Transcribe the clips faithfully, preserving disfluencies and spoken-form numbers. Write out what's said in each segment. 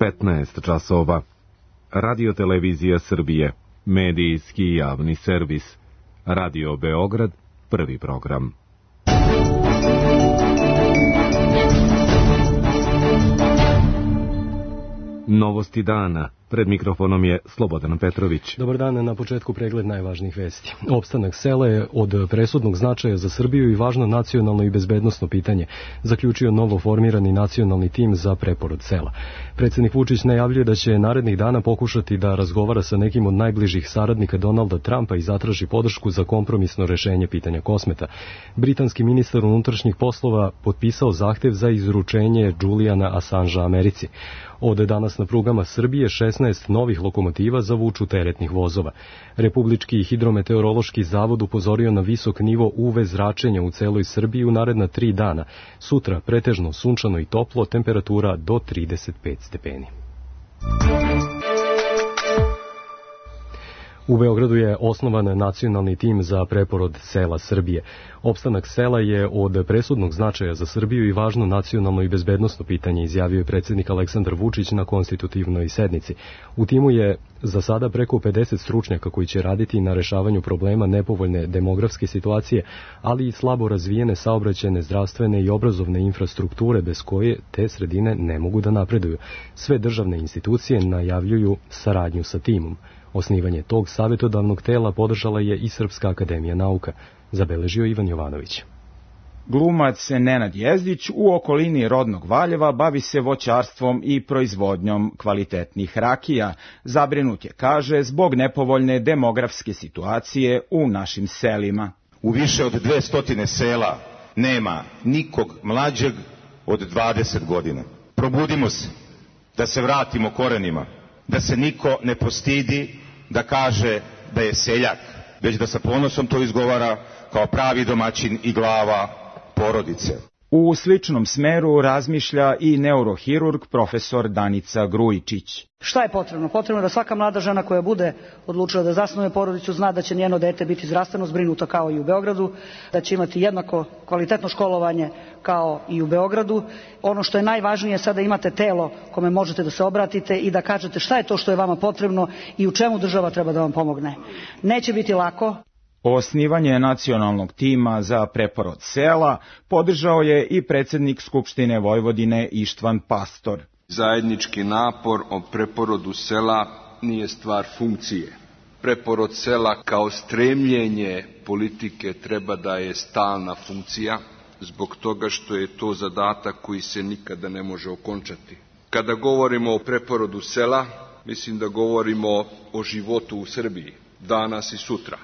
petnaest časova. Radio Televizija Srbije, medijski javni servis. Radio Beograd, prvi program. Novosti dana. Pred mikrofonom je Slobodan Petrović. Dobar dan, na početku pregled najvažnijih vesti. Opstanak sela je od presudnog značaja za Srbiju i važno nacionalno i bezbednosno pitanje, zaključio novo formirani nacionalni tim za preporod sela. Predsjednik Vučić najavljuje da će narednih dana pokušati da razgovara sa nekim od najbližih saradnika Donalda Trumpa i zatraži podršku za kompromisno rešenje pitanja Kosmeta. Britanski ministar unutrašnjih poslova potpisao zahtev za izručenje Juliana Assangea Americi. Od danas na prugama Srbije šesnaest novih lokomotiva za vuču teretnih vozova. Republički hidrometeorološki zavod upozorio na visok nivo U V zračenja u celoj Srbiji u naredna tri dana. Sutra pretežno sunčano i toplo, temperatura do trideset pet stepeni. U Beogradu je osnovan nacionalni tim za preporod sela Srbije. Opstanak sela je od presudnog značaja za Srbiju i važno nacionalno i bezbednosno pitanje, izjavio je predsjednik Aleksandar Vučić na konstitutivnoj sednici. U timu je za sada preko pedeset stručnjaka koji će raditi na rešavanju problema nepovoljne demografske situacije, ali i slabo razvijene saobraćajne, zdravstvene i obrazovne infrastrukture bez koje te sredine ne mogu da napreduju. Sve državne institucije najavljuju saradnju sa timom. Osnivanje tog savjetodavnog tela podržala je i Srpska akademija nauka, zabeležio Ivan Jovanović. Glumac Nenad Jezdić u okolini rodnog Valjeva bavi se voćarstvom i proizvodnjom kvalitetnih rakija. Zabrinut je, kaže, zbog nepovoljne demografske situacije u našim selima. U više od dvestotine sela nema nikog mlađeg od dvadeset godina. Probudimo se, da se vratimo korenima, da se niko ne postidi da kaže da je seljak, već da sa ponosom to izgovara kao pravi domaćin i glava porodice. U sličnom smeru razmišlja i neurohirurg profesor Danica Grujičić. Šta je potrebno? Potrebno je da svaka mlada žena koja bude odlučila da zasnuje porodicu zna da će njeno dete biti zdravstveno zbrinuto kao i u Beogradu, da će imati jednako kvalitetno školovanje kao i u Beogradu. Ono što je najvažnije, sada imate telo kome možete da se obratite i da kažete šta je to što je vama potrebno i u čemu država treba da vam pomogne. Neće biti lako. Osnivanje nacionalnog tima za preporod sela podržao je i predsjednik Skupštine Vojvodine Ištvan Pastor. Zajednički napor o preporodu sela nije stvar funkcije. Preporod sela kao stremljenje politike treba da je stalna funkcija, zbog toga što je to zadatak koji se nikada ne može okončati. Kada govorimo o preporodu sela, mislim da govorimo o životu u Srbiji, danas i sutra.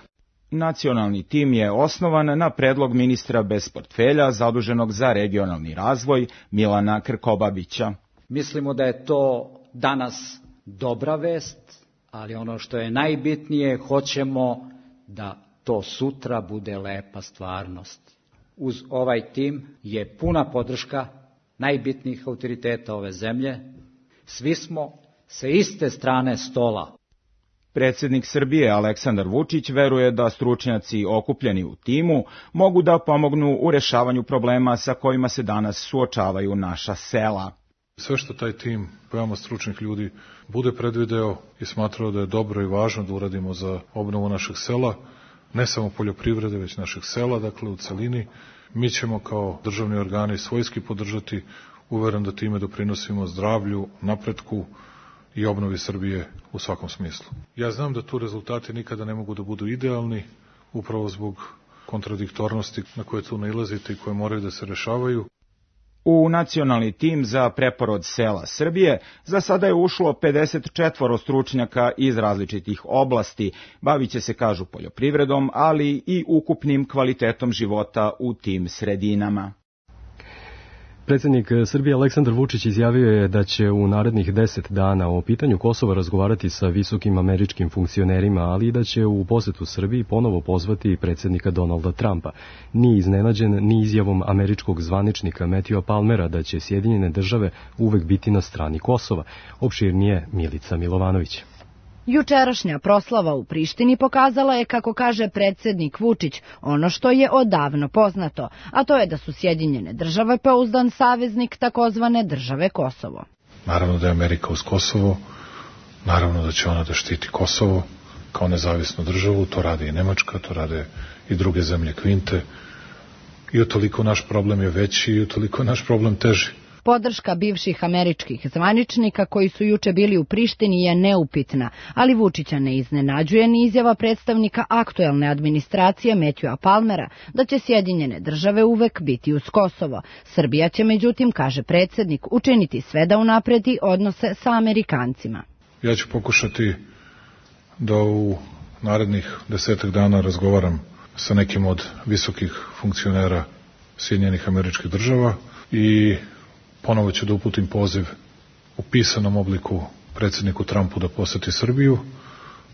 Nacionalni tim je osnovan na predlog ministra bez portfelja zaduženog za regionalni razvoj Milana Krkobabića. Mislimo da je to danas dobra vest, ali ono što je najbitnije, hoćemo da to sutra bude lepa stvarnost. Uz ovaj tim je puna podrška najbitnijih autoriteta ove zemlje. Svi smo sa iste strane stola. Predsjednik Srbije Aleksandar Vučić veruje da stručnjaci okupljeni u timu mogu da pomognu u rešavanju problema sa kojima se danas suočavaju naša sela. Sve što taj tim veoma stručnih ljudi bude predvideo i smatrao da je dobro i važno da uradimo za obnovu našeg sela, ne samo poljoprivrede, već našeg sela, dakle u celini, mi ćemo kao državni organi svojski podržati, uveren da time doprinosimo zdravlju, napretku i obnovi Srbije u svakom smislu. Ja znam da tu rezultati nikada ne mogu da budu idealni, upravo zbog kontradiktornosti na koje tu nailazite i koje moraju da se rešavaju. U nacionalni tim za preporod sela Srbije za sada je ušlo pedeset četvoro stručnjaka iz različitih oblasti. Bavit će se, kažu, poljoprivredom, ali i ukupnim kvalitetom života u tim sredinama. Predsjednik Srbije Aleksandar Vučić izjavio je da će u narednih deset dana o pitanju Kosova razgovarati sa visokim američkim funkcionerima, ali i da će u posetu Srbiji ponovo pozvati predsjednika Donalda Trumpa. Nije iznenađen ni izjavom američkog zvaničnika Matthewa Palmera da će Sjedinjene države uvek biti na strani Kosova. Opširnije Milica Milovanović. Jučerašnja proslava u Prištini pokazala je, kako kaže predsjednik Vučić, ono što je odavno poznato, a to je da su Sjedinjene države pouzdan saveznik takozvane države Kosovo. Naravno da je Amerika uz Kosovo, naravno da će ona da štiti Kosovo kao nezavisnu državu, to radi i Nemačka, to rade i druge zemlje Kvinte, i utoliko naš problem je veći i utoliko naš problem teži. Podrška bivših američkih zvaničnika koji su juče bili u Prištini je neupitna, ali Vučića ne iznenađuje ni izjava predstavnika aktuelne administracije Matthewa Palmera da će Sjedinjene države uvek biti uz Kosovo. Srbija će, međutim, kaže predsednik, učiniti sve da unapredi odnose sa Amerikancima. Ja ću pokušati da u narednih desetak dana razgovaram sa nekim od visokih funkcionera Sjedinjenih američkih država i ponovo ću da uputim poziv u pisanom obliku predsjedniku Trumpu da poseti Srbiju.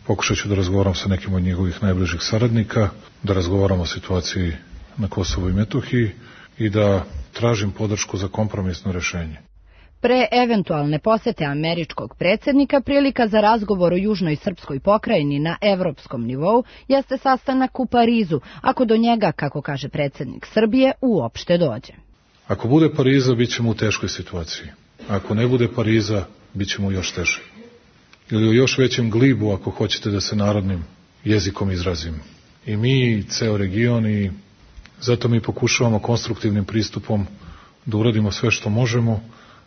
Pokušat ću da razgovaram sa nekim od njegovih najbližih saradnika, da razgovaram o situaciji na Kosovu i Metohiji i da tražim podršku za kompromisno rešenje. Pre eventualne posete američkog predsjednika prilika za razgovor o južnoj srpskoj pokrajini na evropskom nivou jeste sastanak u Parizu, ako do njega, kako kaže predsjednik Srbije, uopšte dođe. Ako bude Pariza, bit ćemo u teškoj situaciji. Ako ne bude Pariza, bit ćemo još teže. Ili u još većem glibu, ako hoćete da se narodnim jezikom izrazim. I mi, i ceo region, i zato mi pokušavamo konstruktivnim pristupom da uradimo sve što možemo,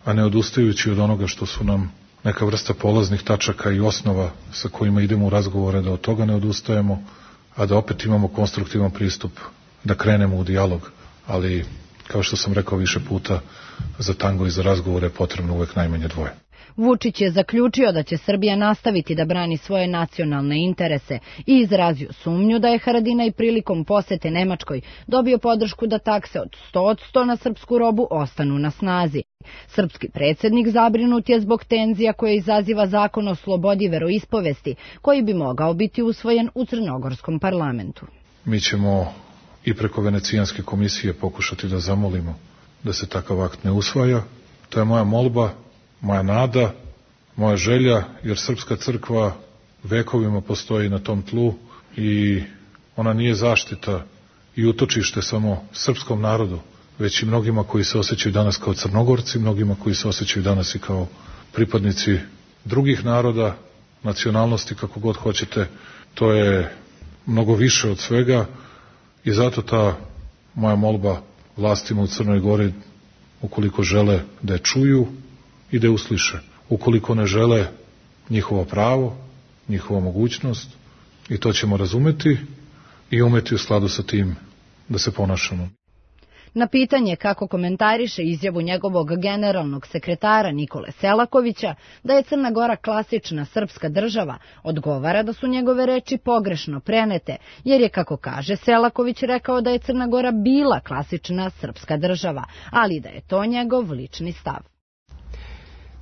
a ne odustajući od onoga što su nam neka vrsta polaznih tačaka i osnova sa kojima idemo u razgovore, da od toga ne odustajemo, a da opet imamo konstruktivan pristup, da krenemo u dijalog, ali kao što sam rekao više puta, za tango i za razgovore je potrebno uvek najmanje dvoje. Vučić je zaključio da će Srbija nastaviti da brani svoje nacionalne interese i izrazio sumnju da je Haradinaj prilikom posete Nemačkoj dobio podršku da takse od sto posto na srpsku robu ostanu na snazi. Srpski predsjednik zabrinut je zbog tenzija koje izaziva zakon o slobodi veroispovesti, koji bi mogao biti usvojen u crnogorskom parlamentu. Mi ćemo i preko Venecijanske komisije pokušati da zamolimo da se takav akt ne usvaja. To je moja molba, moja nada, moja želja, jer Srpska crkva vekovima postoji na tom tlu i ona nije zaštita i utočište samo srpskom narodu, već i mnogima koji se osjećaju danas kao Crnogorci, mnogima koji se osjećaju danas i kao pripadnici drugih naroda, nacionalnosti, kako god hoćete. To je mnogo više od svega i zato ta moja molba vlastima u Crnoj Gori, ukoliko žele da je čuju i da je usliše. Ukoliko ne žele, njihovo pravo, njihova mogućnost, i to ćemo razumeti i umeti u skladu sa tim da se ponašamo. Na pitanje kako komentariše izjavu njegovog generalnog sekretara Nikole Selakovića da je Crna Gora klasična srpska država, odgovara da su njegove reči pogrešno prenete, jer je, kako kaže Selaković, rekao da je Crna Gora bila klasična srpska država, ali da je to njegov lični stav.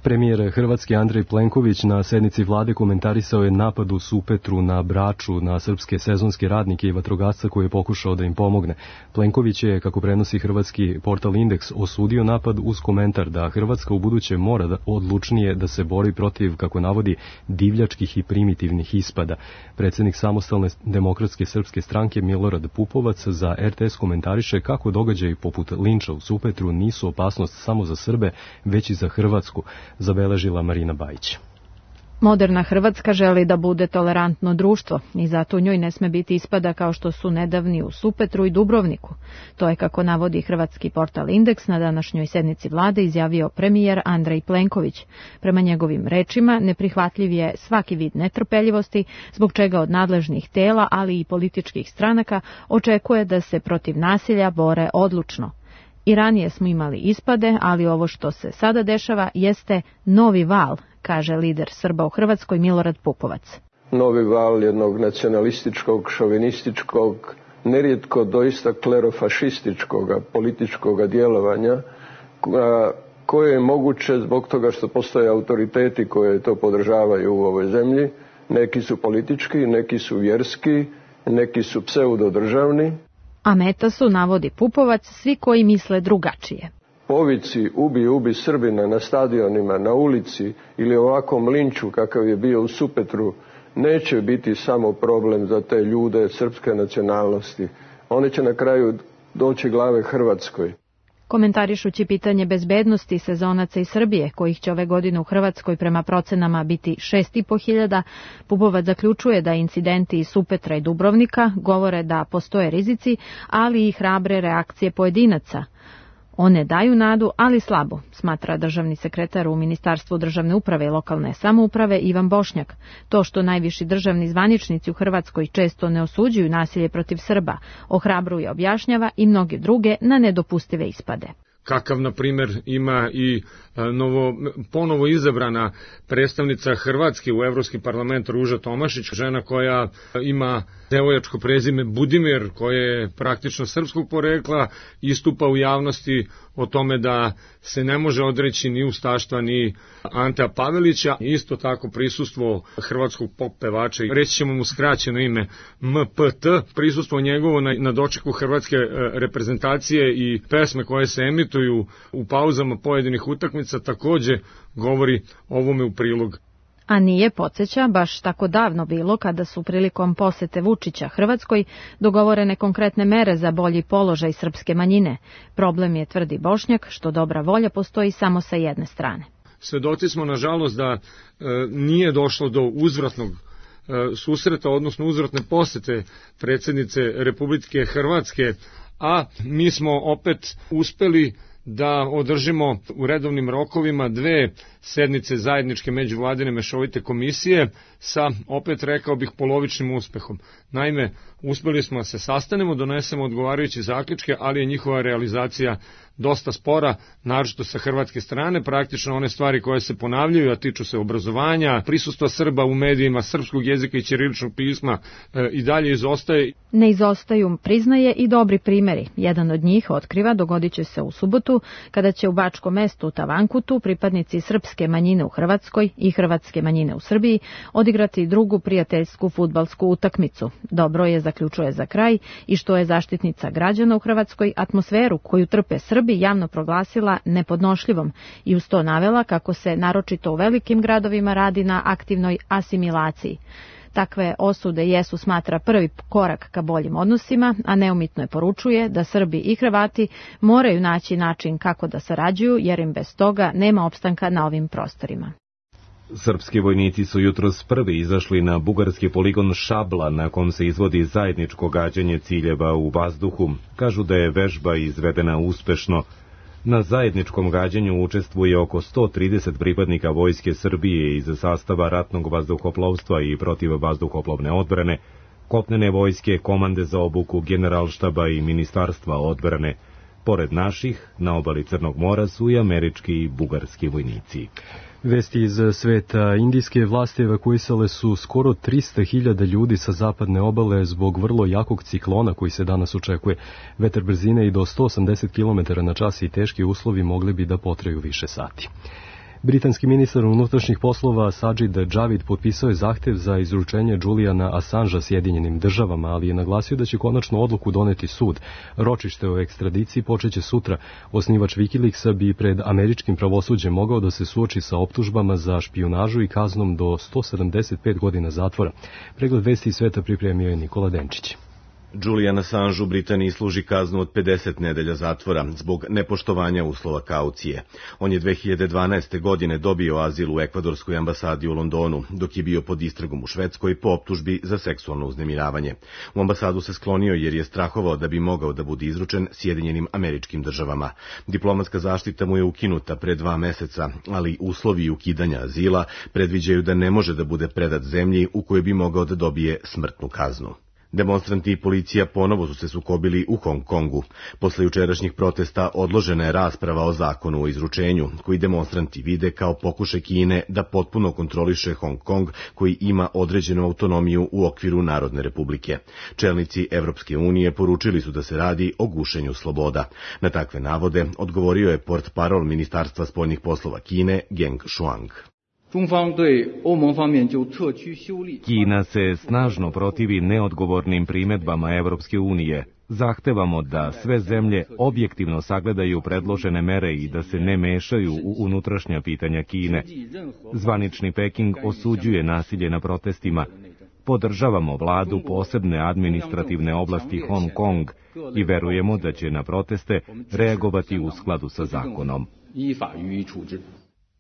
Premijer Hrvatske Andrej Plenković na sednici vlade komentarisao je napad u Supetru na Braču na srpske sezonske radnike i vatrogasca koji je pokušao da im pomogne. Plenković je, kako prenosi hrvatski portal Indeks, osudio napad uz komentar da Hrvatska ubuduće mora da odlučnije da se bori protiv, kako navodi, divljačkih i primitivnih ispada. Predsjednik Samostalne demokratske srpske stranke Milorad Pupovac za er te es komentariše kako događaji poput linča u Supetru nisu opasnost samo za Srbe, već i za Hrvatsku, zabeležila Marina Bajić. Moderna Hrvatska želi da bude tolerantno društvo i zato u njoj ne sme biti ispada kao što su nedavni u Supetru i Dubrovniku. To je, kako navodi hrvatski portal Indeks, na današnjoj sednici vlade izjavio premijer Andrej Plenković. Prema njegovim rečima, neprihvatljiv je svaki vid netrpeljivosti, zbog čega od nadležnih tela, ali i političkih stranaka, očekuje da se protiv nasilja bore odlučno. I ranije smo imali ispade, ali ovo što se sada dešava jeste novi val, kaže lider Srba u Hrvatskoj Milorad Pupovac. Novi val jednog nacionalističkog, šovinističkog, nerijetko doista klerofašističkog političkog djelovanja, koje je moguće zbog toga što postoje autoriteti koje to podržavaju u ovoj zemlji. Neki su politički, neki su vjerski, neki su pseudodržavni. A meta su, navodi Pupovac, svi koji misle drugačije. Povici ubi, ubi Srbina na stadionima, na ulici ili ovakvom linču kakav je bio u Supetru neće biti samo problem za te ljude srpske nacionalnosti. One će na kraju doći glave Hrvatskoj. Komentarišući pitanje bezbednosti sezonaca iz Srbije, kojih će ove godine u Hrvatskoj prema procenama biti šest i po hiljada, Pupovac zaključuje da incidenti iz Supetra i Dubrovnika govore da postoje rizici, ali i hrabre reakcije pojedinaca. One daju nadu, ali slabo, smatra državni sekretar u Ministarstvu državne uprave i lokalne samouprave Ivan Bošnjak. To što najviši državni zvaničnici u Hrvatskoj često ne osuđuju nasilje protiv Srba, ohrabruje, objašnjava i mnoge druge na nedopustive ispade. Kakav, na primjer, ima i novo, ponovo izabrana predstavnica Hrvatske u Evropski parlament Ruža Tomašić, žena koja ima devojačko prezime Budimir, koje je praktično srpskog porekla, istupa u javnosti o tome da se ne može odreći ni ustaštva ni Antea Pavelića. Isto tako prisustvo hrvatskog pop pevača, reći ćemo mu skraćeno ime M P T, prisustvo njegovo na, na dočeku hrvatske reprezentacije i pesme koje se emituju u pauzama pojedinih utakmica takođe govori ovome u prilog. A nije, podsjeća, baš tako davno bilo kada su prilikom posete Vučića Hrvatskoj dogovorene konkretne mere za bolji položaj srpske manjine. Problem je, tvrdi Bošnjak, što dobra volja postoji samo sa jedne strane. Svedoci smo, nažalost, da e, nije došlo do uzvratnog e, susreta, odnosno uzvratne posete predsjednice Republike Hrvatske, a mi smo opet uspeli da održimo u redovnim rokovima dve sednice zajedničke međuvladine mešovite komisije sa, opet rekao bih, polovičnim uspehom. Naime, uspeli smo da se sastanemo, donesemo odgovarajuće zaključke, ali je njihova realizacija dosta spora, naročito sa hrvatske strane. Praktično one stvari koje se ponavljaju, a tiču se obrazovanja, prisustva Srba u medijima, srpskog jezika i ćiriličnog pisma e, i dalje izostaje. Ne izostaju, priznaje, i dobri primjeri. Jedan od njih, otkriva, dogodit će se u subotu, kada će u Bačkom mestu Tavankutu pripadnici srpske manjine u Hrvatskoj i hrvatske manjine u Srbiji odigrati drugu prijateljsku fudbalsku utakmicu. Dobro je, zaključuje za kraj, i što je zaštitnica građana u Hrvatskoj atmosferu koju trpe Srbi javno proglasila nepodnošljivom i uz to navela kako se naročito u velikim gradovima radi na aktivnoj asimilaciji. Takve osude jesu, smatra, prvi korak ka boljim odnosima, a neumitno je poručuje da Srbi i Hrvati moraju naći način kako da sarađuju, jer im bez toga nema opstanka na ovim prostorima. Srpski vojnici su jutros prvi izašli na bugarski poligon Šabla, na kom se izvodi zajedničko gađanje ciljeva u vazduhu. Kažu da je vežba izvedena uspešno. Na zajedničkom gađanju učestvuje oko sto trideset pripadnika Vojske Srbije iz sastava ratnog vazduhoplovstva i protivvazduhoplovne odbrane, kopnene vojske, komande za obuku, generalštaba i ministarstva odbrane. Pored naših, na obali Crnog mora su i američki i bugarski vojnici. Vesti iz sveta. Indijske vlasti evakuisale su skoro trista hiljada ljudi sa zapadne obale zbog vrlo jakog ciklona koji se danas očekuje. Vetar brzine i do sto osamdeset kilometara na čas i teški uslovi mogli bi da potraju više sati. Britanski ministar unutrašnjih poslova Sajid Javid potpisao je zahtev za izručenje Juliana Assangea Sjedinjenim državama, ali je naglasio da će konačnu odluku doneti sud. Ročište o ekstradiciji počeće sutra. Osnivač Wikileaksa bi pred američkim pravosuđem mogao da se suoči sa optužbama za špijunažu i kaznom do sto sedamdeset pet godina zatvora. Pregled vesti iz sveta pripremio je Nikola Denčić. Julian Assange u Britaniji služi kaznu od pedeset nedelja zatvora zbog nepoštovanja uslova kaucije. On je dve hiljade dvanaeste. godine dobio azil u ekvadorskoj ambasadi u Londonu, dok je bio pod istragom u Švedskoj po optužbi za seksualno uznemiravanje. U ambasadu se sklonio jer je strahovao da bi mogao da bude izručen Sjedinjenim Američkim Državama. Diplomatska zaštita mu je ukinuta pre dva meseca, ali uslovi ukidanja azila predviđaju da ne može da bude predat zemlji u kojoj bi mogao da dobije smrtnu kaznu. Demonstranti i policija ponovo su se sukobili u Hong Kongu. Posle jučerašnjih protesta odložena je rasprava o zakonu o izručenju, koji demonstranti vide kao pokušaj Kine da potpuno kontroliše Hong Kong, koji ima određenu autonomiju u okviru Narodne republike. Čelnici Evropske unije poručili su da se radi o gušenju sloboda. Na takve navode odgovorio je portparol Ministarstva spoljnih poslova Kine Geng Shuang. Kina se snažno protivi neodgovornim primedbama Evropske unije. Zahtevamo da sve zemlje objektivno sagledaju predložene mere i da se ne mešaju u unutrašnja pitanja Kine. Zvanični Peking osuđuje nasilje na protestima. Podržavamo vladu posebne administrativne oblasti Hong Kong i verujemo da će na proteste reagovati u skladu sa zakonom.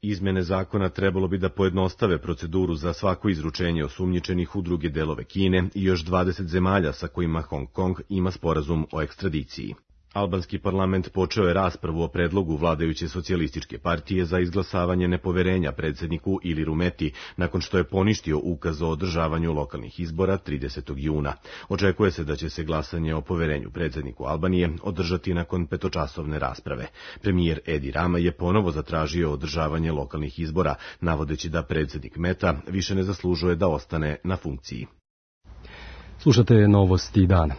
Izmene zakona trebalo bi da pojednostave proceduru za svako izručenje osumnjičenih u druge delove Kine i još dvadeset zemalja sa kojima Hong Kong ima sporazum o ekstradiciji. Albanski parlament počeo je raspravu o predlogu vladajuće socijalističke partije za izglasavanje nepoverenja predsjedniku Iliru Meti nakon što je poništio ukaz o održavanju lokalnih izbora tridesetog juna. Očekuje se da će se glasanje o poverenju predsjedniku Albanije održati nakon petočasovne rasprave. Premijer Edi Rama je ponovo zatražio održavanje lokalnih izbora, navodeći da predsjednik Meta više ne zaslužuje da ostane na funkciji. Slušate novosti dana.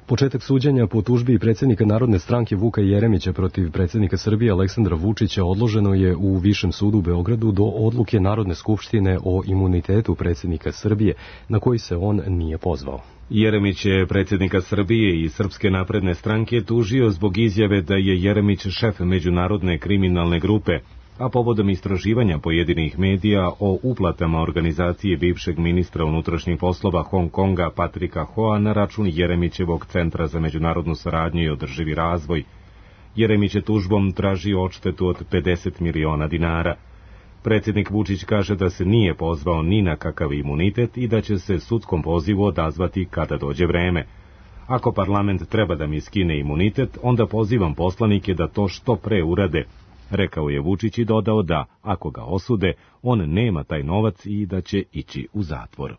Početak suđenja po tužbi predsjednika Narodne stranke Vuka Jeremića protiv predsjednika Srbije Aleksandra Vučića odloženo je u Višem sudu u Beogradu do odluke Narodne skupštine o imunitetu predsjednika Srbije, na koji se on nije pozvao. Jeremić je predsjednika Srbije i Srpske napredne stranke tužio zbog izjave da je Jeremić šef međunarodne kriminalne grupe, a povodom istraživanja pojedinih medija o uplatama organizacije bivšeg ministra unutrašnjih poslova Hong Konga Patrika Hoa na račun Jeremićevog Centra za međunarodnu saradnju i održivi razvoj. Jeremić je tužbom tražio odštetu od pedeset miliona dinara. Predsjednik Vučić kaže da se nije pozvao ni na kakav imunitet i da će se sudskom pozivu odazvati kada dođe vreme. Ako parlament treba da mi skine imunitet, onda pozivam poslanike da to što pre urade, rekao je Vučić i dodao da, ako ga osude, on nema taj novac i da će ići u zatvor.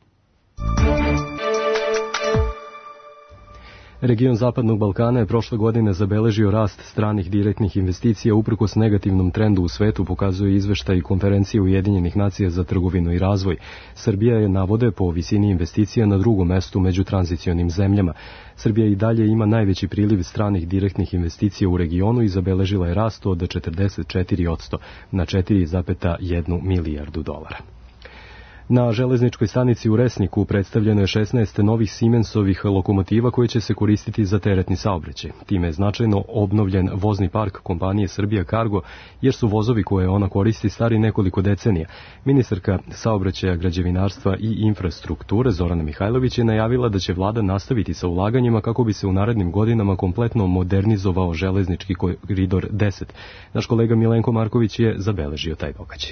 Region Zapadnog Balkana je prošle godine zabeležio rast stranih direktnih investicija uprkos negativnom trendu u svetu, pokazuje izveštaj Konferencije Ujedinjenih nacija za trgovinu i razvoj. Srbija je, navode, po visini investicija na drugom mestu među tranzicionim zemljama. Srbija i dalje ima najveći priliv stranih direktnih investicija u regionu i zabeležila je rast od četrdeset četiri posto na četiri zarez jedan milijardu dolara. Na železničkoj stanici u Resniku predstavljeno je šesnaest novih Siemensovih lokomotiva koje će se koristiti za teretni saobraćaj. Time je značajno obnovljen vozni park kompanije Srbija Cargo, jer su vozovi koje ona koristi stari nekoliko decenija. Ministarka saobraćaja, građevinarstva i infrastrukture Zorana Mihajlović je najavila da će vlada nastaviti sa ulaganjima kako bi se u narednim godinama kompletno modernizovao železnički koridor deset. Naš kolega Milenko Marković je zabeležio taj događaj.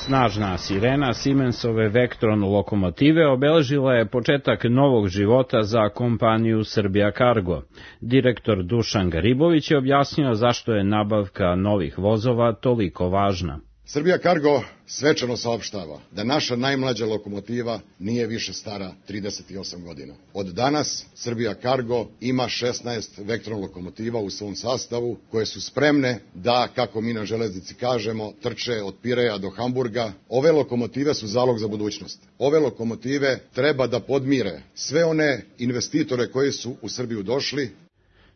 Snažna sirena Siemensove Vectron lokomotive obeležila je početak novog života za kompaniju Srbija Cargo. Direktor Dušan Garibović je objasnio zašto je nabavka novih vozova toliko važna. Srbija Cargo svečano saopštava da naša najmlađa lokomotiva nije više stara trideset osam godina. Od danas Srbija Cargo ima šesnaest Vectron lokomotiva u svom sastavu koje su spremne da, kako mi na železnici kažemo, trče od Pireja do Hamburga. Ove lokomotive su zalog za budućnost. Ove lokomotive treba da podmire sve one investitore koji su u Srbiju došli.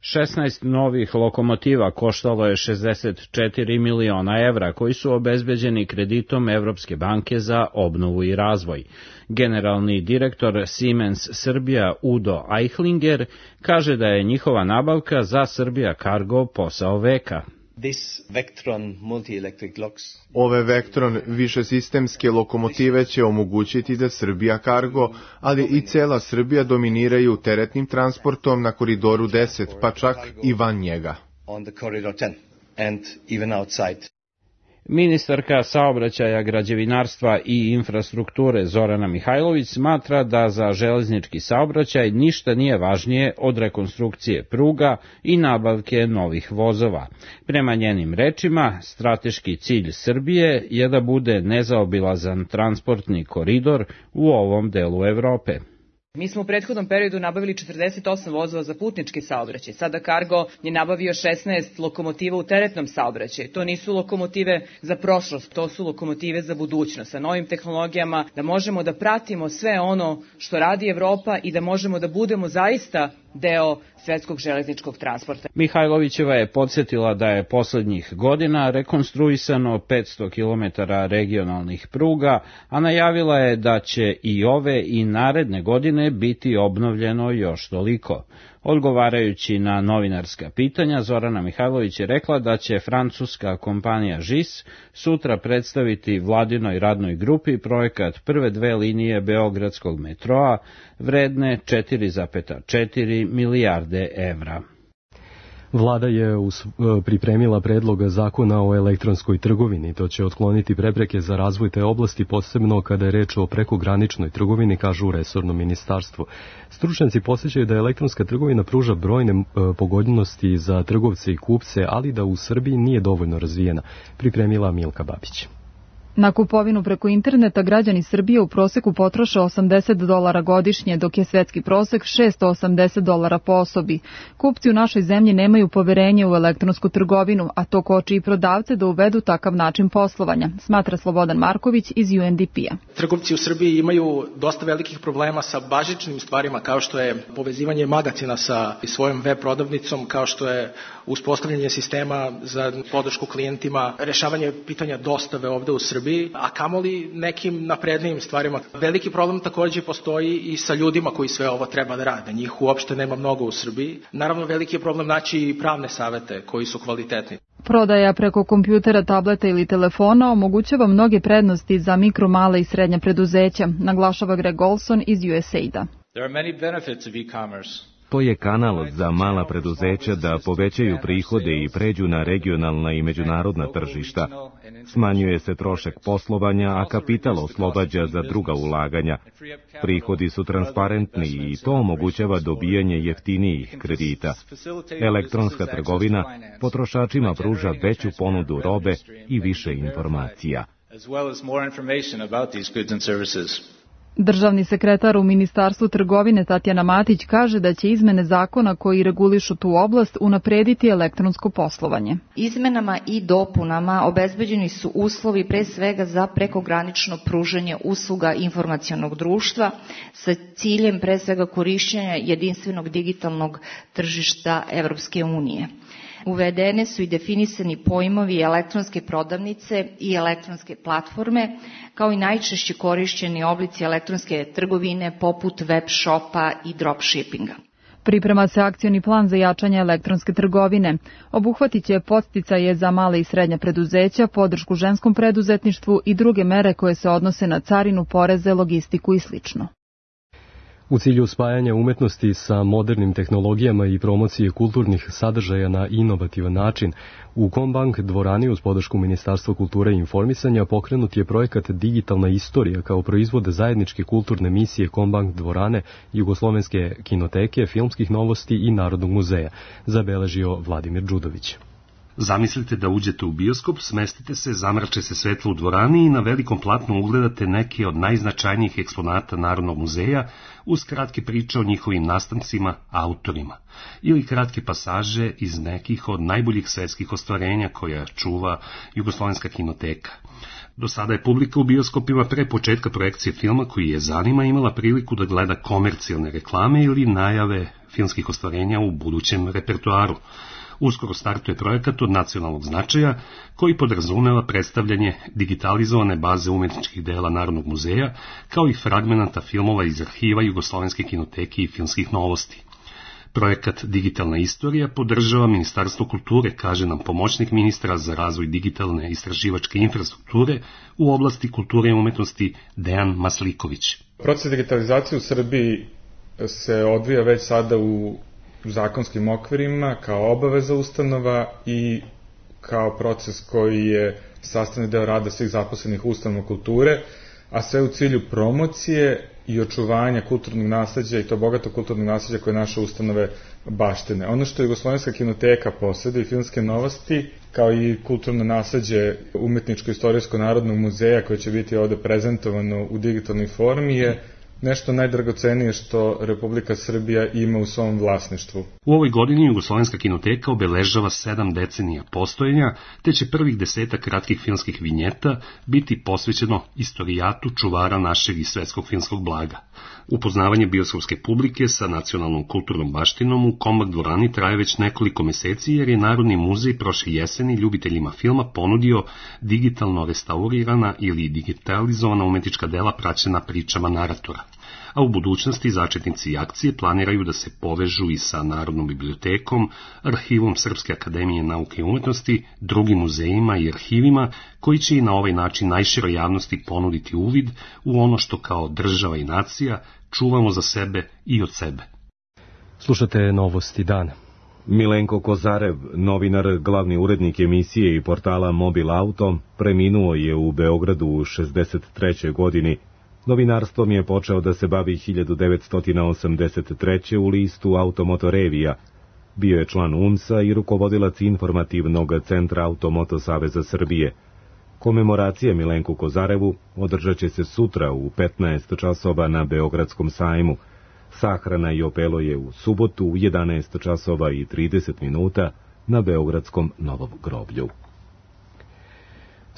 šesnaest novih lokomotiva koštalo je šezdeset četiri miliona evra, koji su obezbeđeni kreditom Evropske banke za obnovu i razvoj. Generalni direktor Siemens Srbija Udo Eichlinger kaže da je njihova nabavka za Srbija Cargo posao veka. Ove Vectron višesistemske lokomotive će omogućiti da Srbija Cargo, ali i cela Srbija dominiraju teretnim transportom na koridoru deset, pa čak i van njega. Ministarka saobraćaja, građevinarstva i infrastrukture Zorana Mihajlović smatra da za železnički saobraćaj ništa nije važnije od rekonstrukcije pruga i nabavke novih vozova. Prema njenim rečima, strateški cilj Srbije je da bude nezaobilazan transportni koridor u ovom delu Evrope. Mi smo u prethodnom periodu nabavili četrdeset osam vozova za putnički saobraćaj. Sada Cargo je nabavio šesnaest lokomotiva u teretnom saobraćaju. To nisu lokomotive za prošlost, to su lokomotive za budućnost. Sa novim tehnologijama da možemo da pratimo sve ono što radi Evropa i da možemo da budemo zaista deo svetskog železničkog transporta. Mihajlovićeva je podsjetila da je poslednjih godina rekonstruisano petsto kilometara regionalnih pruga, a najavila je da će i ove i naredne godine biti obnovljeno još toliko. Odgovarajući na novinarska pitanja, Zorana Mihajlović je rekla da će francuska kompanija G I S sutra predstaviti vladinoj radnoj grupi projekat prve dve linije beogradskog metroa vredne četiri zarez četiri milijarde evra. Vlada je pripremila predlog zakona o elektronskoj trgovini. To će otkloniti prepreke za razvoj te oblasti, posebno kada je reč o prekograničnoj trgovini, kažu u resornom ministarstvu. Stručnjaci podsjećaju da elektronska trgovina pruža brojne pogodnosti za trgovce i kupce, ali da u Srbiji nije dovoljno razvijena, pripremila Milka Babić. Na kupovinu preko interneta građani Srbije u proseku potroše osamdeset dolara godišnje, dok je svetski prosek šesto osamdeset dolara po osobi. Kupci u našoj zemlji nemaju poverenje u elektronsku trgovinu, a to koči i prodavce da uvedu takav način poslovanja, smatra Slobodan Marković iz U N D P-a. Trgovci u Srbiji imaju dosta velikih problema sa bazičnim stvarima, kao što je povezivanje magacina sa svojom web prodavnicom, kao što je uspostavljanje sistema za podršku klijentima, rešavanje pitanja dostave ovde u Srbiji, a kamoli nekim naprednijim stvarima. Veliki problem takođe postoji i sa ljudima koji sve ovo treba da rade. Njih uopšte nema mnogo u Srbiji. Naravno, veliki je problem naći i pravne savete koji su kvalitetni. Prodaja preko kompjutera, tableta ili telefona omogućava mnoge prednosti za mikro, male i srednja preduzeća, naglašava Greg Olson iz U S A I D-a. There are many benefits of e-commerce. To je kanal za mala preduzeća da povećaju prihode i pređu na regionalna i međunarodna tržišta. Smanjuje se trošak poslovanja, a kapital oslobađa za druga ulaganja. Prihodi su transparentni i to omogućava dobijanje jeftinijih kredita. Elektronska trgovina potrošačima pruža veću ponudu robe i više informacija. Državni sekretar u Ministarstvu trgovine Tatjana Matić kaže da će izmene zakona koji regulišu tu oblast unaprediti elektronsko poslovanje. Izmenama i dopunama obezbeđeni su uslovi pre svega za prekogranično pružanje usluga informacionog društva sa ciljem pre svega korišćenja jedinstvenog digitalnog tržišta Evropske unije. Uvedene su i definisani pojmovi elektronske prodavnice i elektronske platforme, kao i najčešće korišćeni oblici elektronske trgovine poput web shopa i dropshippinga. Priprema se akcioni plan za jačanje elektronske trgovine. Obuhvatit će podsticaje za male i srednja preduzeća, podršku ženskom preduzetništvu i druge mere koje se odnose na carinu, poreze, logistiku i slično. U cilju spajanja umetnosti sa modernim tehnologijama i promocije kulturnih sadržaja na inovativan način, u Kombank dvorani uz podršku Ministarstva kulture i informisanja pokrenut je projekat Digitalna istorija kao proizvod zajedničke kulturne misije Kombank dvorane, Jugoslovenske kinoteke, filmskih novosti i Narodnog muzeja, zabeležio Vladimir Đudović. Zamislite da uđete u bioskop, smestite se, zamrače se svetlo u dvorani i na velikom platnu ugledate neke od najznačajnijih eksponata Narodnog muzeja uz kratke priče o njihovim nastancima, autorima, ili kratke pasaže iz nekih od najboljih svetskih ostvarenja koja čuva Jugoslovenska kinoteka. Do sada je publika u bioskopima pre početka projekcije filma koji je zanima imala priliku da gleda komercijalne reklame ili najave filmskih ostvarenja u budućem repertoaru. Uskoro startuje projekat od nacionalnog značaja koji podrazumeva predstavljanje digitalizovane baze umetničkih dela Narodnog muzeja kao i fragmenata filmova iz arhiva Jugoslovenske kinoteke i filmskih novosti. Projekat Digitalna istorija podržava Ministarstvo kulture, kaže nam pomoćnik ministra za razvoj digitalne istraživačke infrastrukture u oblasti kulture i umetnosti Dejan Masliković. Proces digitalizacije u Srbiji se odvija već sada u zakonskim okvirima kao obaveza ustanova i kao proces koji je sastavni deo rada svih zaposlenih ustanova kulture, a sve u cilju promocije i očuvanja kulturnog nasleđa i to bogato kulturnog nasleđa koje naše ustanove baštine. Ono što je Jugoslovenska kinoteka posjeduje i filmske novosti, kao i kulturno nasleđe Umetničko-istorijsko narodnog muzeja koje će biti ovde prezentovano u digitalnoj formi je nešto najdragocenije što Republika Srbija ima u svom vlasništvu. U ovoj godini Jugoslovenska kinoteka obeležava sedam decenija postojanja, te će prvih desetak kratkih filmskih vinjeta biti posvećeno istorijatu čuvara našeg i svetskog filmskog blaga. Upoznavanje bioskopske publike sa nacionalnom kulturnom baštinom u Kombank dvorani traje već nekoliko meseci jer je Narodni muzej prošle jeseni ljubiteljima filma ponudio digitalno restaurirana ili digitalizovana umetnička dela praćena pričama naratora. a u budućnosti začetnici akcije planiraju da se povežu i sa Narodnom bibliotekom, Arhivom Srpske akademije nauke i umetnosti, drugim muzejima i arhivima, koji će i na ovaj način najširoj javnosti ponuditi uvid u ono što kao država i nacija čuvamo za sebe i od sebe. Slušate Novosti dana. Milenko Kozarev, novinar, glavni urednik emisije i portala Mobil Auto, preminuo je u Beogradu u šezdeset trećoj godini. Novinarstvom je počeo da se bavi hiljadu devetsto osamdeset treće. u listu Automoto Revija. Bio je član U N S A i rukovodilac informativnog centra Automoto Saveza Srbije. Komemoracija Milenku Kozarevu održat će se sutra u petnaest časova na Beogradskom sajmu. Sahrana i opelo je u subotu u jedanaest časova i trideset minuta na Beogradskom Novom groblju.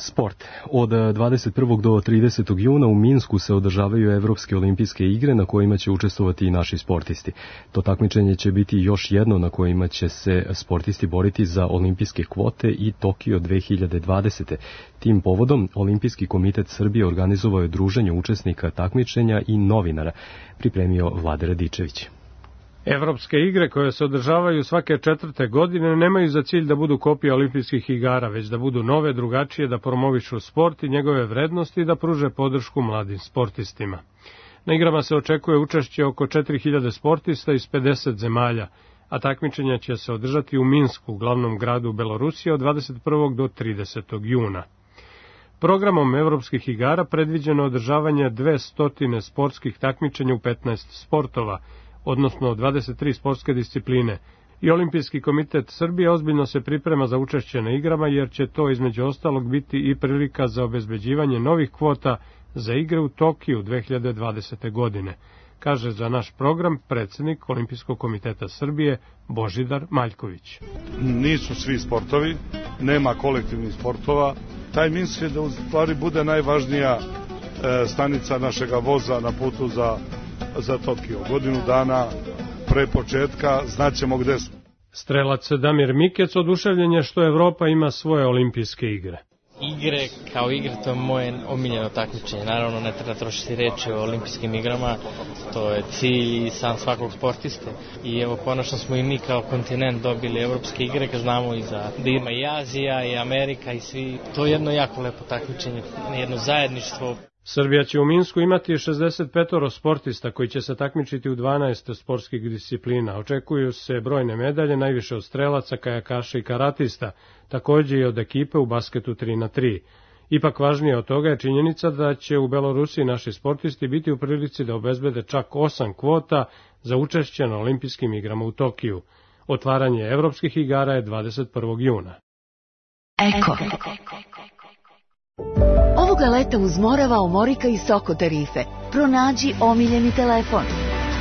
Sport. Od dvadeset prvog do tridesetog juna u Minsku se održavaju Evropske olimpijske igre na kojima će učestvovati i naši sportisti. To takmičenje će biti još jedno na kojima će se sportisti boriti za olimpijske kvote i Tokio dve hiljade dvadesete. Tim povodom Olimpijski komitet Srbije organizovao je druženje učesnika takmičenja i novinara, pripremio Vlade Radičević. Evropske igre koje se održavaju svake četvrte godine nemaju za cilj da budu kopija olimpijskih igara, već da budu nove, drugačije, da promovišu sport i njegove vrednosti i da pruže podršku mladim sportistima. Na igrama se očekuje učešće oko četiri hiljade sportista iz pedeset zemalja, a takmičenja će se održati u Minsku, glavnom gradu Belorusije, od dvadeset prvog do tridesetog juna. Programom Evropskih igara predviđeno održavanje dvesta sportskih takmičenja u petnaest sportova, odnosno dvadeset tri sportske discipline, i Olimpijski komitet Srbije ozbiljno se priprema za učešće na igrama, jer će to između ostalog biti i prilika za obezbeđivanje novih kvota za igre u Tokiju dve hiljade dvadesete. godine, kaže za naš program predsjednik Olimpijskog komiteta Srbije Božidar Maljković. Nisu svi sportovi, nema kolektivnih sportova. Taj Minsk je da u stvari bude najvažnija e, stanica našega voza na putu za za Tokio. Godinu dana pre početka znaćemo gde smo. Strelac Damir Mikec oduševljen je što Evropa ima svoje olimpijske igre. Igre kao igre, to je moje omiljeno takmičenje. Naravno, ne treba trošiti reči o olimpijskim igrama, to je cilj i san svakog sportiste. I evo, konačno smo i mi kao kontinent dobili evropske igre, kad znamo i za, da ima i Azija, i Amerika, i svi. To je jedno jako lepo takmičenje, jedno zajedništvo. Srbija će u Minsku imati šezdeset pet sportista koji će se takmičiti u dvanaest sportskih disciplina. Očekuju se brojne medalje, najviše od strelaca, kajakaša i karatista, takođe i od ekipe u basketu tri na tri. Ipak važnije od toga je činjenica da će u Belorusiji naši sportisti biti u prilici da obezbede čak osam kvota za učešće na olimpijskim igrama u Tokiju. Otvaranje evropskih igara je dvadeset prvog juna. Eko. Ovoga leta uz Morava, Omorika i Soko tarife pronađi omiljeni telefon.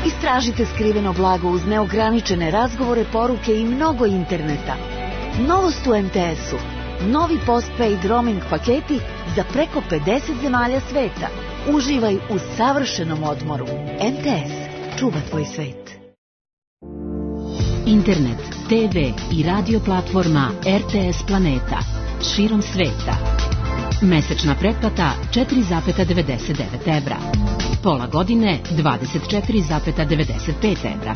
Istražite skriveno blago uz neograničene razgovore, poruke i mnogo interneta. Novost u em te esu. Novi postpaid roaming paketi za preko pedeset zemalja sveta. Uživaj u savršenom odmoru. em te es. Čuva tvoj svet. Internet, te ve i radio platforma er te es Planeta. Širom sveta. Mesečna pretplata četiri zarez devedeset devet evra. Pola godine dvadeset četiri zarez devedeset pet evra.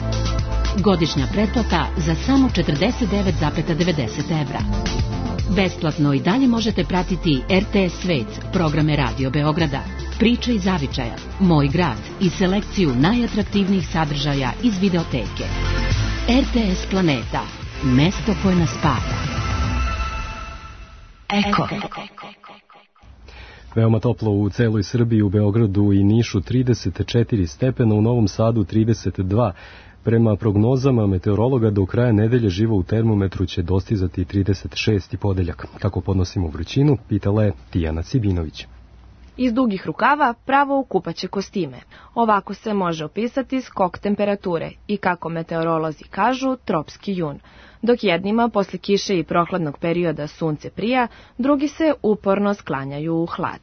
Godišnja pretplata za samo četrdeset devet zarez devedeset evra. Besplatno i dalje možete pratiti er te es Svet, programe Radio Beograda, Priče iz Zavičaja, Moj grad i selekciju najatraktivnijih sadržaja iz videoteke. er te es Planeta, mesto koje nas spaja. Eko. Veoma toplo u celoj Srbiji, u Beogradu i Nišu trideset četiri stepena, u Novom Sadu trideset dva. Prema prognozama meteorologa do kraja nedelje živo u termometru će dostizati trideset šest i podeljak. Kako podnosimo vrućinu, pitala je Tijana Cibinović. Iz dugih rukava pravo u kupaće kostime. Ovako se može opisati skok temperature i, kako meteorolozi kažu, tropski jun. Dok jednima posle kiše i prohladnog perioda sunce prija, drugi se uporno sklanjaju u hlad.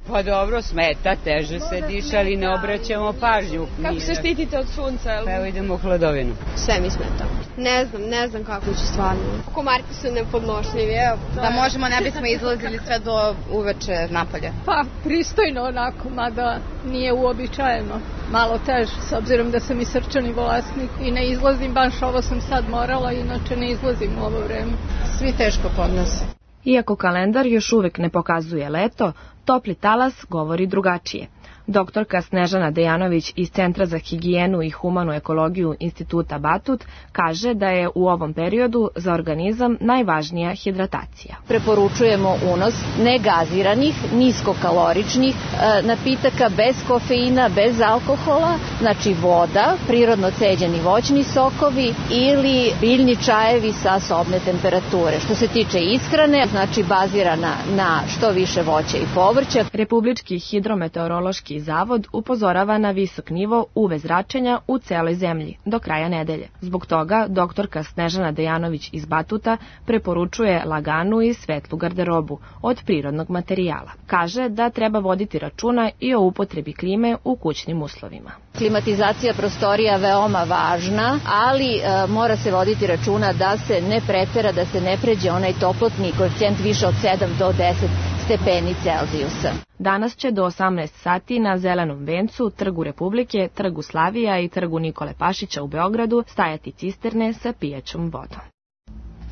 Pa dobro, smeta, teže se diša, ali ne obraćamo pažnju. Kako se štitite od sunca? Pa evo idemo u hladovinu. Sve mi smeta. Ne znam, ne znam kako ću stvarno. Komarci su nepodnošljivi, evo. Da možemo, ne bismo izlazili sve do uveče napolje. Pa, pristojno onako, mada nije uobičajeno. Malo teže, s obzirom da sam i srčani bolesnik i ne izlazim, baš ovo sam sad morala, inače ne izlazim u ovo vreme. Svi teško podnose. Iako kalendar još uvek ne pokazuje leto, topli talas govori drugačije. Doktorka Snežana Dejanović iz Centra za higijenu i humanu ekologiju Instituta Batut kaže da je u ovom periodu za organizam najvažnija hidratacija. Preporučujemo unos negaziranih, niskokaloričnih napitaka bez kofeina, bez alkohola, znači voda, prirodno ceđeni voćni sokovi ili biljni čajevi sa sobne temperature. Što se tiče ishrane, znači bazirana na što više voća i povrća. Republički hidrometeorološki Zavod upozorava na visok nivo U V zračenja u celoj zemlji do kraja nedelje. Zbog toga doktorka Snežana Dejanović iz Batuta preporučuje laganu i svetlu garderobu od prirodnog materijala. Kaže da treba voditi računa i o upotrebi klime u kućnim uslovima. Klimatizacija prostorija je veoma važna, ali e, mora se voditi računa da se ne pretera, da se ne pređe onaj toplotni koeficijent više od sedam do deset stepeni Celzijusa. Danas će do osamnaest sati na Zelenom vencu, Trgu Republike, Trgu Slavija i Trgu Nikole Pašića u Beogradu stajati cisterne sa pijaćom vodom.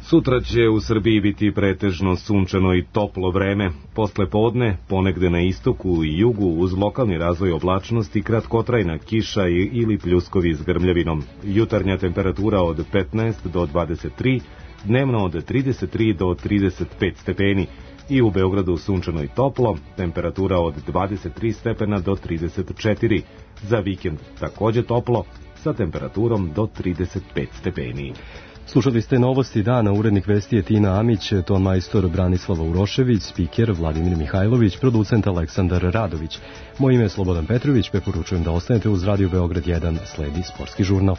Sutra će u Srbiji biti pretežno sunčano i toplo vreme. Posle podne, ponegde na istoku i jugu, uz lokalni razvoj oblačnosti, kratkotrajna kiša ili pljuskovi s grmljavinom. Jutarnja temperatura od petnaest do dvadeset tri, dnevno od trideset tri do trideset pet stepeni. I u Beogradu sunčano i toplo, temperatura od dvadeset tri stepena do trideset četiri. Za vikend takođe toplo, sa temperaturom do trideset pet stepeni. Slušali ste novosti dana, urednik vesti je Tina Amić, ton majstor Branislava Urošević, spiker Vladimir Mihajlović, producent Aleksandar Radović. Moje ime je Slobodan Petrović, preporučujem da ostanete uz Radio Beograd jedan, sledi sportski žurnal.